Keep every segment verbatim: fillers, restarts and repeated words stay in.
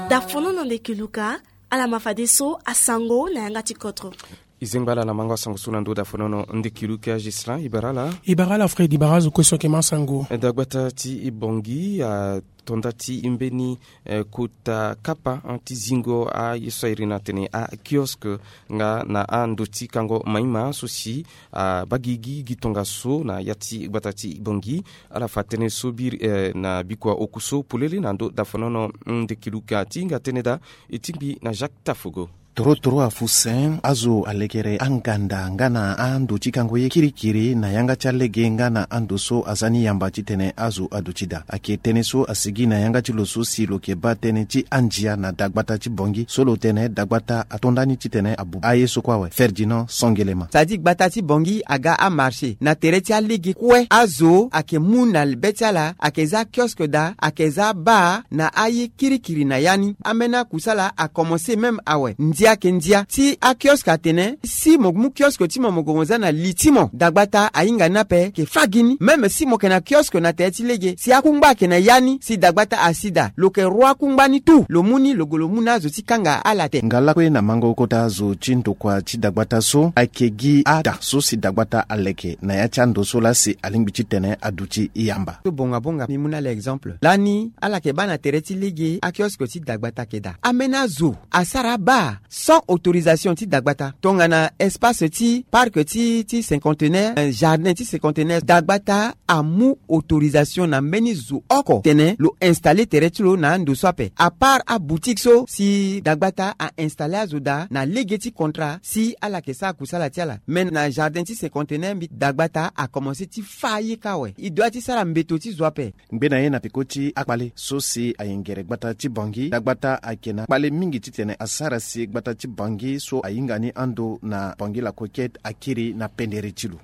Dafonono nde keluka. Ala ma fadeso asango na yanga ti kotro. Izengba ala na mango asango so na ndo dafonono nde keluka. Gislin, ibara ala. Ibara ala Fred, ibara azo kue so ayeke ma sango. Dagbata ti Bangui atonda ti mbeni eh, kota kapa, eh, ti zingo aye so a iri na tene akiosque nga na ando ti kango maima so si abaa gigi gi tongaso na ya ti gbata ti Bangui. Ala fa tënë so biri, eh, na bikua oku so polele na ndo dafonono nde keluka ti hinga tënë daa. E tingbi na Jacques Tafogo. Toro toro afu sen azo alekere anganda nga na ando ti kango ye kirikiri na yanga ti alege nga na ando so aza ni yamba titene azo aduti daa. Ayeke tënë so asigi na yanga ti lo so si lo yeke baa tënë ti andia na dagbata ti Bangui so lo tene dagbata atonda ni titene abu aye so kue awe. Ferdinand Songelema. Sadi gbata ti Bangui aga amarché na tere ti alege kue. Azo ayeke mu na be ti ala ayeke za kiosque daa, ayeke za baa na aye kirikiri na ya ni. Ambeni akusala akomanse même awe. Ndia ayeke ndia ti akiosque atene si mo mu kiosque ti mo, mo gue mo za na li ti mo, dagbata ahinga ni ape, ayeke fâ gi ni. Même si mo yeke na kiosque na tere ti lege, si akungba ayeke na ya ni, si dagbata asi daa, lo yeke roi akungba ni tout, lo mu ni, lo gue lo mu na azo ti kanga ala te. Nga lakue na mango kota azo ti ndokua ti dagbata so ayeke gi ada so si dagbata aleke na ya ti ando so laa si alingbi titene aduti yamba. So bonga bonga, mbi mu na ala exemple. Lani ala yeke baa na tere ti lege akiosque ti dagbata ayeke daa. Ambeni azo asara abaa sans autorisation ti dagbata. Tongana espace ti parc ti, ti cinquantenaire, eh, jardin ti cinquantenaire, dagbata amu autorisation na mbeni zo oko tene lo installer tere ti lo na ando so ape. À part aboutique so si dagbata a installer azo daa na lege ti contrat si ala yeke sara kusala ti ala. Me na jardin ti cinquantenaire mbi dagbata akomanse ti fâ aye kâ awe. E doit ti sara mbeto ti zo ape. Ngbene ye na peko ti akpale so si ayengere gbata ti Bangui, dagbata ayeke na kpale mingi titene asara si gbata ti Bangui so ahinga ni ando na Bangui la Coquette akiri na pendere ti lo.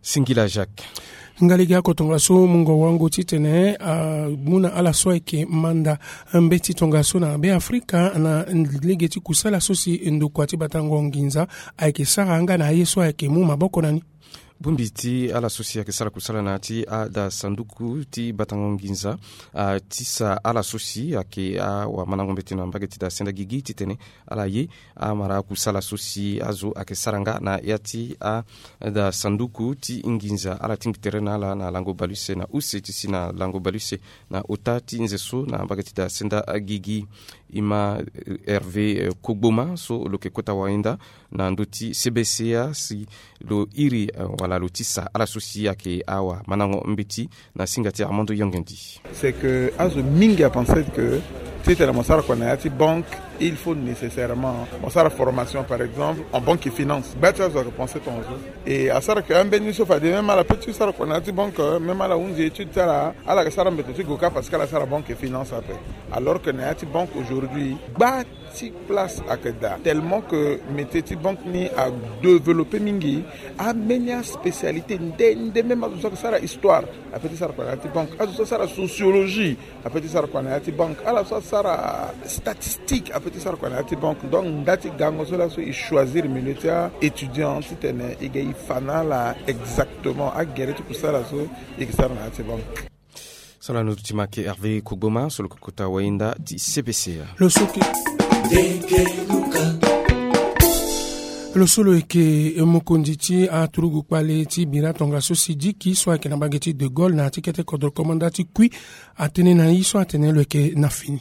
Singila Jacques. Nga lege oko tongaso mungo wango titene amu na ala so ayeke manda mbeti tongaso na Beafrika na lege ti kusala so si ndokua ti batango nginza ayeke sara nga na aye so ayeke mu maboko na ni. Bongbi ti ala so si ayeke sara kusala na ya ti ada sanduku ti batango nginza, ah, ti sa ala so si ayeke awamandango mbeti na mbage ti da senda gigi titene ala ye amara akusala so si azo ayeke sara nga na ya ti ada sanduku ti nginza. Ala tingbi tere na ala na lango bale use na use ti si na lango bale use na ota ti nze so na mbage ti da senda gigi. E ma, eh, Hervé, eh, Kogboma so lo yeke kota wayenda na ndö ti C B C A si lo iri, eh, wala lo tisa ala so si ayeke awamandango mbeti na singa ti Armando Yongendi. C'est que azo mingi apenser que titene mo sara kua na ya ti banque, il faut nécessairement mo sara formation, par exemple en banque et finance. Gba ti azo ayeke penser tongaso. Et asara que ambeni so fade même ala peut ti sara kua na ya ti banque, même ala hunzi étude ti ala, ala yeke sara mbeto ti gue kâ parce que ala sara banque et finance ape. Alors que na ya ti banque aujourd'hui gba ti place ayeke daa, tellement que métier ti banque ni adéveloppé mingi. Ambeni aspécialité nde nde, même azo so ayeke sara histoire apeut ti sara kua na ya ti banque, azo so asara sociologie apeut ti sara kua na ya ti banque, ala so asara statistique apeut ti sara kua na ya ti banque. Donc nda ti gango so laso e choisir milieu ti a-étudiant titene e ga e fa na ala exactement agere ti kusala so e yeke sara na ya ti banque. So lani duti ma ayeke Hervé Kogboma so lo yeke kota wayenda ti C B C A. Lo so yeke, lo so lo yeke mokonzi ti aturugu kpale ti bira tongaso si Diki so ayeke na mbage ti De Gaulle na ya ti kete kodro komanda ti kui atene na ye so atene lo yeke na fini.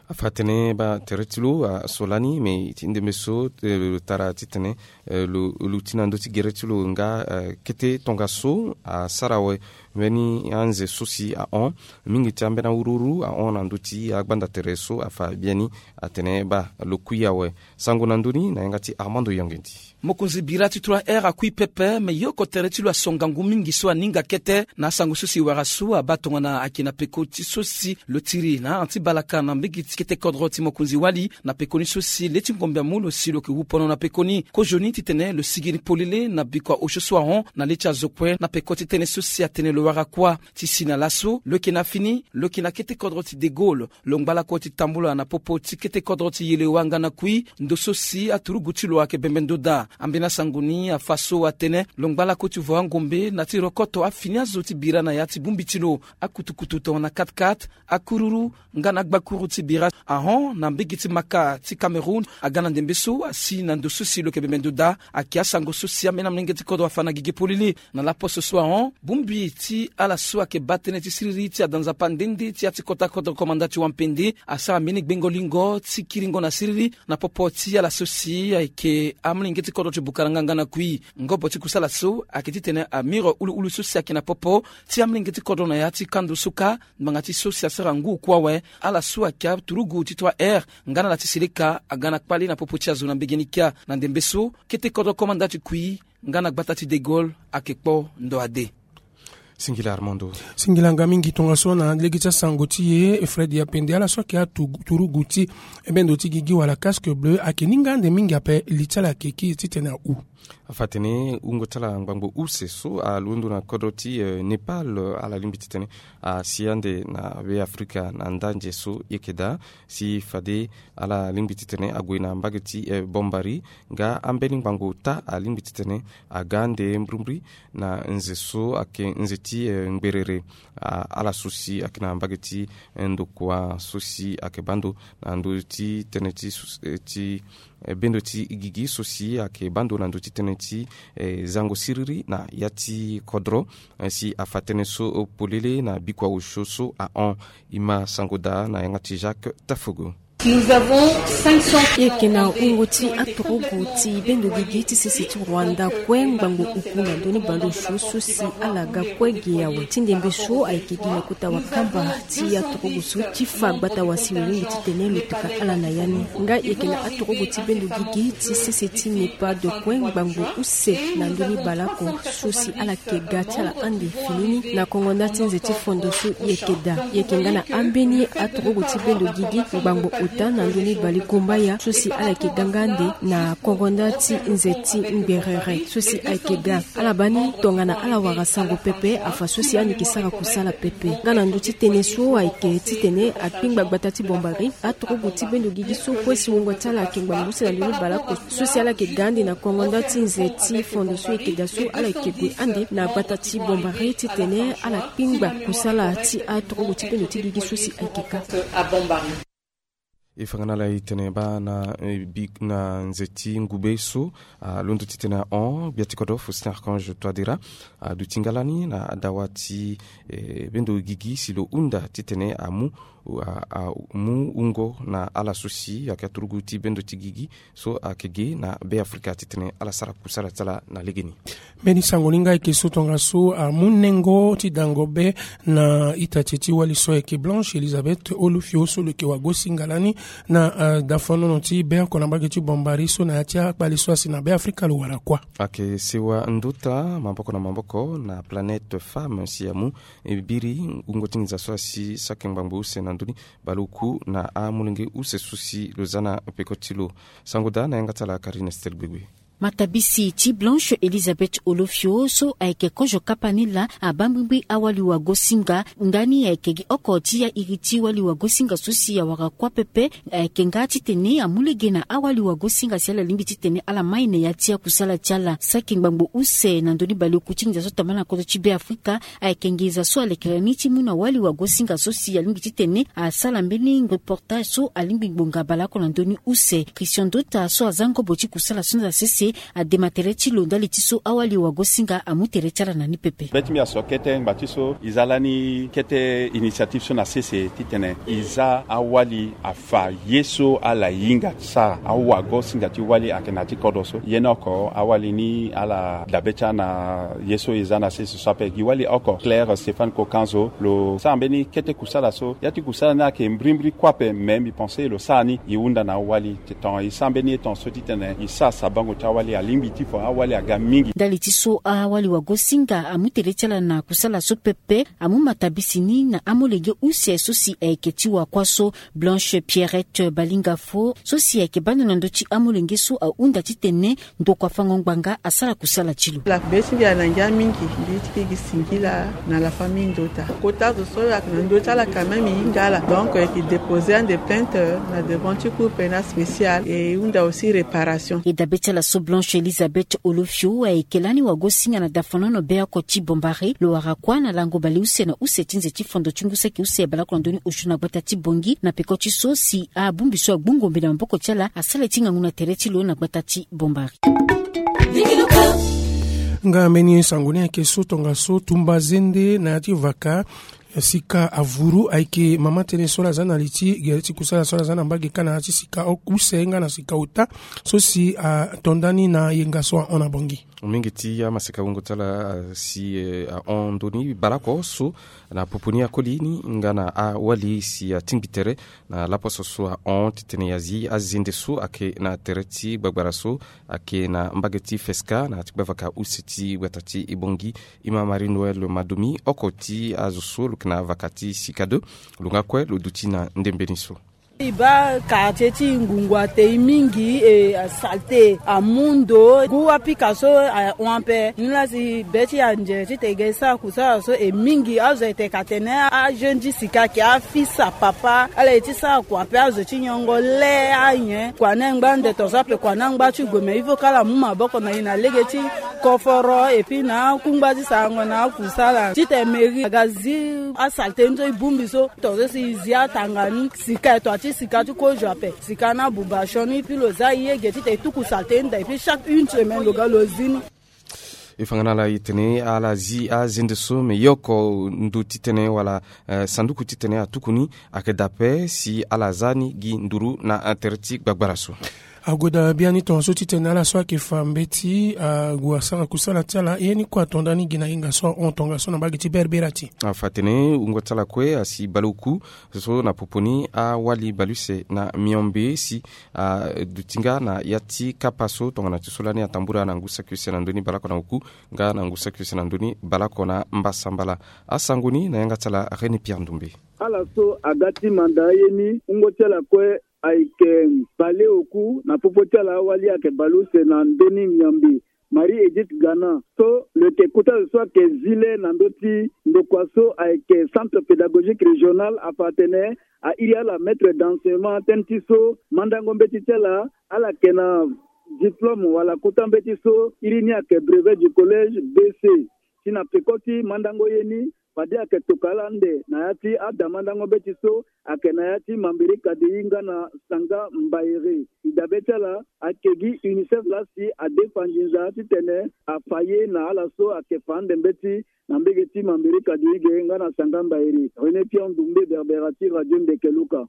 Afa atene baa tere ti lo aso lani me ti ndembe so, eh, lo tara titene, eh, lo, lo ti na ndö ti gere ti lo nga, eh, kete tongaso asara awe. Mbeni anze so si ahon mingi ti ambeni awuruwuru ahon na ndö ti agbanda tere so afa biani atene baa lo kui awe. Sango na ndö ni na yanga ti Armando Yongendi. Mokonzi bira ti trois R akui pepe, me ye oko tere ti lo aso ngangu mingi so aninga kete na asango so si wara so abaa tongana ayeke na peko ti so si lo tiri na anti balaka na mbege ti kete kodro ti mokonzi wali. Na pekoni so si le ti ngombe amu lo si lo yeke wu pono na pekoni kozoni titene lo sigi ni polele na bikua osio so ahon na le ti azo kue na peko ti tënë so si atene lo Wara kuâ ti si na laso lo yeke na fini, lo yeke na kete kodro ti De Gaulle. Lo ngba lakue ti tambula na popo ti kete kodro ti Yelewa nga na Kui, ndo so si aturugu ti lo ayeke bembe ndo daa. Ambeni asango ni afa so atene lo ngba lakue ti vo angombe na ti rokoto afini azo ti bira na ya ti bongbi ti lo. Akutukutu tongana katkat, akururu nga na agbakuru ti bira ahon na mbege ti Maka ti Cameroun aga na ndembe so asi na ndo so si lo yeke bembe ndo daa. Ayeke asango so si ambeni amolenge ti kodro afa na gigi polele. Na laposo so ahon, bongbi ti ala so ayeke baa tënë ti siriri ti ada nzapa nde nde ti ya ti kota kodro komanda ti wampende asara mbeni gbengo lingo ti kiringo na siriri na popo ti ala so si ayeke amolenge ti kodro ti Bukaranga nga na Kui. Ngobo ti kusala so ayeke titene amiro uluulu so si ayeke na popo ti amolenge ti kodro na ya ti kando so kâ. Ngbanga ti so si asara ngu oku awe, ala so ayeke aturugu ti trois R nga na ala ti seleka aga na kpale na popo ti azo na mbege ni kia. Na ndembe so kete kodro komanda ti Kui nga na gbata ti De Gaulle ayeke kpo ndo ade. Singila Armando. Singila nga mingi tongaso na lege ti asango ti e Fred Yapende. Ala so ayeke aturugu ti bendo ti gigi wala casque bleu ayeke ni nga ande mingi ape, li ti ala ayeke ki titene ahu? Afa atene wungo ti ala ngbangbo use so alondo na kodro ti Népal, ala lingbi titene asi ande na Be Afrika na ndanze so e yeke daa. Si fade ala lingbi titene ague na mbage ti Bombari nga ambeni ngbangbo ota alingbi titene aga ande mbrimbri na nze so ayeke nze ti ngberere. Ala so si ayeke na mbage ti ndokua so si ayeke baa ndo na ndö ti tënë ti bendo ti gigi so si ayeke baa ndo na ndö ti tënë ti zango siriri na ya ti kodro. Si afa tënë so polele na bikua osio so ahon. E ma sango daa na yanga ti Jacques Tafogo. E yeke na wungo ti aturugu ti bendo gigi ti sese ti Rwanda kue ngbangbo oku na ndö ni baleosio so si ala ga kue ge awe. Ti ndembe so ayeke gi na kota wakamba ti aturugu so ti fa gbata wasi lo lingbi titene lo teka ala na ya ni. Nga e yeke na aturugu ti bendo gigi ti sese ti Népal kue ngbangbo use na ndö ni baleoko so si ala yeke ga ti ala ande fini ni na kongo nda ti nze ti fondo so e yeke daa. E yeke nga na ambeni aturugu ti bendo gigi ngbangbo ota na ndö ni balegombaya so si ala yeke ga nga ande na kongo nda ti nze ti ngberere so si ayeke ga. Ala baa ni tongana ala wara sango pepe afa so si ande yeke sara kusala pepe. Nga na ndö ti tënë so ayeke titene akpingba gbata ti Bombari, aturugu ti bendo gigi so kue si wungo ti ala ayeke ngbangbo use na ndö ni baleoko so si ala yeke ga ande na kongo nda ti nze ti fondo so e yeke daa so ala yeke gue ande na gbata ti Bombari titene ala kpingba kusala ti aturugu ti bendo ti gigi so si ayeke ka. E fa nga na ala e tene baa na nze ti ngube so alondo titene ahon gbia ti kodro Faustin Archange Touadéra aduti nga lani na adawa ti bendo gigi si lo hunda titene amu amu wungo na ala so si ayeke aturugu ti bendo ti gigi so ayeke ge na Be Afrika titene ala sara kusala ti ala na legeni. Mbeni sango ni nga ayeke so tongaso amu nengo ti dango be na ita ti e ti wali so ayeke Blanche Elizabeth Olofio so lo yeke wagosinga lani na dafonono ti be oko na mbage ti Bombari so na ya ti akpale so asi na Be Afrika lo wara kuâ. Ayeke sewa ndota maboko na maboko na Planète Femme si amu e biri wungo ti nginza so asi saki ngbangbo use na ndö ni baleoku na amolenge use so si lo za na peko ti lo. Sango daa na yanga ti ala Karine Estelle Gbegbe. Matabisi ti Blanche Elizabeth Olofio so ayeke kozo kapa ni laa abaa mbrimbri awali wagosinga. Ndani ayeke gi oko ti airi ti wali wagosinga so si awara kuâ pepe. Ayeke nga titene amu lege na awali wagosinga si ala lingbi titene ala mai na ya ti akusala ti ala saki ngbangbo use na ndö ni baleoku ti nginza so tambala na kodro ti Be Afrika. Ayeke nginza so alekere ni ti mu na wali wagosinga so si alingbi titene asara mbeni reportage so alingbi ngbonga baleoko na ndö ni use. Christian Dota so aza ngobo ti kusala so na sese adema tere ti lo ndali ti so awali wagosinga amu tere ti ala na ni pepe. Be ti mbi aso kete ngba ti so e za lani kete initiative so na sese titene e za awali afa ye so ala hinga sara awagosinga ti wali ayeke na ya ti kodro so. Ye ni oko awali ni ala dabe ti ala na ye so e za na sese so ape gi wali oko Claire Stéphane Kokanzo lo sara mbeni kete kusala so ya ti kusala ni ayeke mbrimbri kue ape me mbi pense lo sara ni e hunda na awali. Tongana e sara mbeni ye tongana so titene e sara sabango ti Wali alingbi ti fa awali aga mingi. Ndali ti so awali wagosinga amu tele ti ala na kusala so pepe, amu matabisi ni na amolenge use so si ayeke ti wakua so. Blanche Pierrette Balinga Fo so si ayeke bando na ndö ti amolenge so ahunda titene ndokua fango ngbanga asara kusala ti lo. Lakube ti mbi ala ngia mingi, mbi ti ke gi singila na la famille ndota. Kota zo so ayeke na ndö ti ala quand même e hinga ala, donc e yeke déposer ande plainte na devant ti cour pénal spécial et e hunda aussi réparation. E dabe ti ala so Blanche Elisabeth Olofio ayeke lani wagosinga na dafanono beoko ti Bombari, lo wara kuâ na lango baleuse na use ti nze ti fondo ti ngu saki use baleoko na ndö ni osio na gbata ti Bongi na peko ti so si abongbi so agbu ngombe na maboko ti ala asara ti ngangu na tere ti lo na gbata ti Bombari. Nga mbeni sango ni ayeke so tongaso tumba zende na ya ti vaka sika avuru ayeke mama tënë so ala za na li ti gere ti kusala so ala za na mbage ka na ya ti sika use nga na sika ota so si ato ndani na yenga so ahon na Bongi. Mingi ti amaseka wungo ti ala si ahon ndoni baleoko so na popo ni akoli ni nga na awali si atingbi tere na laposo so ahon titene e zi azende so ayeke na tere ti gbagbara so ayeke na mbage ti Feska na ya ti gbavaka use ti gbata ti Bongi. Ima Marie Noël Madomi, oko ti azo so lo yeke na vaka ti sika deux, lo nga kue lo duti na ndembe ni so. E baa quartier ti ngungu ate e mingi, e, asalte amu ndo, ngu apika so ahon ape. Ni laa si be ti anze titene e ga e sara kusala so e mingi. Azo e tene ka tene ajeune ti sika ayeke afils a papa, ala ye ti sara kua ape, azo ti nyongo le anyen. Kua ni angba ande tongaso ape, kua ni angba ti gue, mais il faut kala amu maboko na e na lege ti koforo et puis na akungba ti sarango na akusala titene mairie aga zi asalte ni so e bongbi so. Tongaso si e zi atanga ni, sika e to ati sika ti kozo ape, sika ni abuba sioni, puis lo za e ye ge titene e tuku salte ni daa, et puis chaque une semaine lo ga lo zi ni. E fa nga na ala e tene ala zi azende so, me yoko ndo titene wala, eh, sanduku titene atuku ni ayeke daa ape si ala za ni gi nduru na tere ti gbagbara so. Ague daa biani tongaso titene ala so ayeke fa mbeti ague asara kusala ti ala, ye ni kue ato ndani gi na hinga so ahon tongaso na mbage ti Berbera ti. Afa atene wungo ti ala kue asi baleoku so na popo ni awali baleuse na miombe si aduti nga na ya ti kapa so tongana ti so lani atambula na ngu saki use na ndö ni baleoko na oku nga na ngu saki use na ndö ni baleoko na mbasambala. Asango ni na yanga ti ala René Pierre Ndoumbe. Ala so aga ti manda aye ni, wungo ti ala kue ayeke baleoku, na popo ti ala awali ayeke baleuse na ndö ni miombe. Marie Edith Gana so lo yeke kota zo so ayeke zi le na ndö ti ndokua so ayeke Centre Pédagogique Régional, afa atene a iri ala maître d'enseignement tënë ti so mandango mbeti ti ala, ala yeke na diplôme wala kota mbeti so iri ni ayeke brevet du collège B C. Si na peko ti mandango ye ni, fade ayeke tokua ala ande na ya ti ada mandango mbeti so ayeke na ya ti Mambéré Kadéï nga na Sanga Mbaéré. E dabe ti ala ayeke gi UNICEF laa si adefa nginza titene afa ye na ala so ayeke fa ande mbeti na mbege ti Mambéré Kadéï ge nga na Sanga Mbaéré. René Pierre Ndoumbe, Berbera ti Radio Ndeke Luka.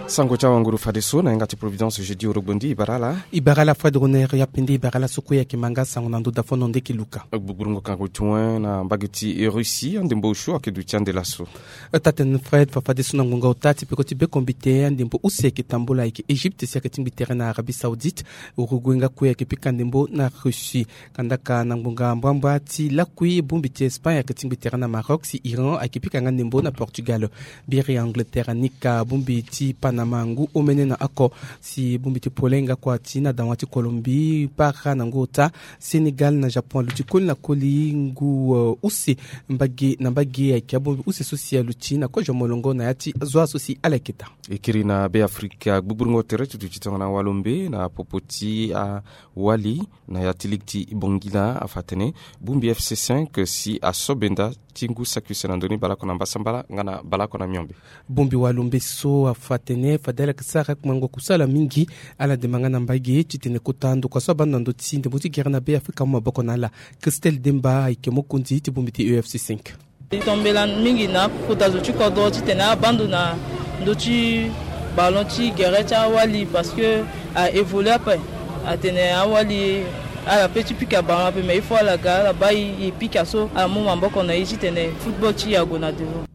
Sango ti awanguru fadeso na yanga ti Providence jeudi orogbondi, e bara ala. E bara ala Fred Roner Yapende, e bara ala so kue ayeke ma nga sango na ndo dafono Ndeke Luka. Gbugburu ngonga ti wen na mbage ti Russie, andembo osio ayeke duti ande laso. Taa-tene Fred, fa fadeso na ngonga ota ti peko ti bekombite, andembo use ayeke tambula ayeke Égypte si ayeke tingbi tere na Arabie Saoudite. Uruguay nga kue ayeke pika ndembo na Russie. Kandaka na ngbonga mbamba ti lakui, bongbi ti Espagne ayeke tingbi tere na Maroc, si Iran ayeke pika nga ndembo na Portugal. Biri Angleterre anika bongbi ti Panama ngu omene na oko, si bongbi ti Pologne nga kua ti na dawa ti Colombie para na ngu ota. Sénégal na Japon aluti koli na koli ngu, eh, use mbage na mbage, ayeke abongbi use so si aluti na kozo molongo na ya ti azo so si ala yeke daa. E kiri na Be Afrika, gbugburungo tere ti duti tongana walombe na popo ti awali na ya ti ligue ti Bangila afa atene bongbi F C cinq si aso benda ti ngu saki use na ndoni baleoko na mbasambala nga na baleoko na miombe. Bongbi walombe so afa atene fade ala yeke sara kpengo kusala mingi, ala demba nga na mbage titene kota ndokua so abanda na ndö ti ndembo ti gere na Be Afrika amu maboko na ala. Christelle Demba ayeke mokonzi ti bongbi ti E F C cinq. E tombela mingi na akota zo ti kodro titene abaa ndo na ndö ti ballon ti gere ti awali parce que a évolue ape. Atene awali ala pe ti pika ballon ape, mais il faut ala ga ala baa e pika so ala mu maboko na e titene football ti e ague na devant.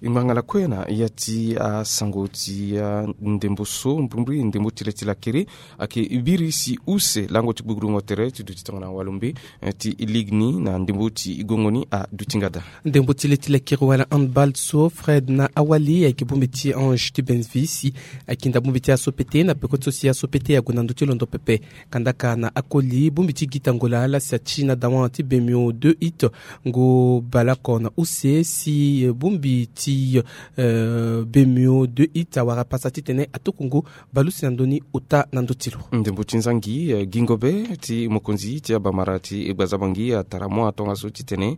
Ngbanga lakue na ya ti asango ti ndembo so mbrimbri ndembo ti le ti lakere ayeke biri si use lango ti gbugrungo tere ti duti tongana walombe ti ligue ni na ndembo ti gongo ni aduti nga daa. Ndembo ti le ti lakere wala handball so Fred na awali ayeke bongbi ti Ange ti Benvis, akinda bongbi ti aso pete na peko ti so si aso pete ague na ndö ti londo pepe. Kandaka na akoli bongbi ti gita ngola ala si ati na dawan ti bemio deux hit ngu baleoko na use si bongbi ti bemio deux hit awara pasa titene atuku ngu baleuse na ndö ni ota na ndö ti lo. Ndembo ti nzangi gingo be ti mokonzi ti abamara ti gbazabangi atara mo atongaso titene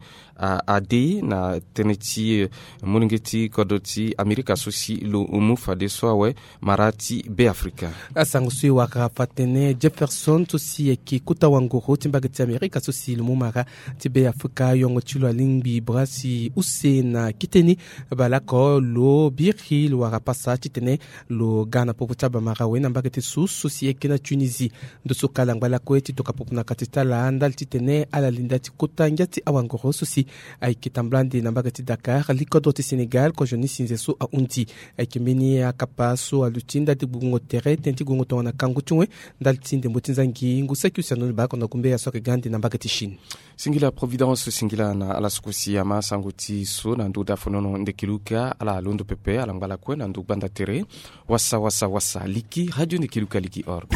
ade na tënë ti molenge ti kodro ti amerika so si lo mu fadeso awe mara ti be afrika. Asango so e wara fa tene Jefferson so si ayeke kota wangoro ti mbage ti amerika so si lo mu mara ti be afrika yongo ti lo alingbi bra si use na kite ni baleoko lo biri lo wara pasa titene lo ga na popo ti abamara awe na mbage ti so so si ayeke na tunisie. Ndo so kala ngbalakue ti toka popo na kati ti ala ndali titene ala linda ti kota ngia ti awangoro so si ayeke tambula ande na mbage ti dakar likodro ti sénégal kozoni sinze so ahundi. Ayeke mbeni akapa so aluti ndali ti gbugbungo tere tënë ti gongo tongana kangu ti wen ndali ti ndembo ti nzangi ngu saki use na ndoni baleoko na gumbe ya so ayeke ga ande na mbage ti chine. Singila providence singila na ala so kue si ama sango ti so na ndö ti afonono ndekiluka ala londo pepe ala ngbalakue na ndö gbanda tere. Wasa wasa wasa liki radio ndekiluka liki org.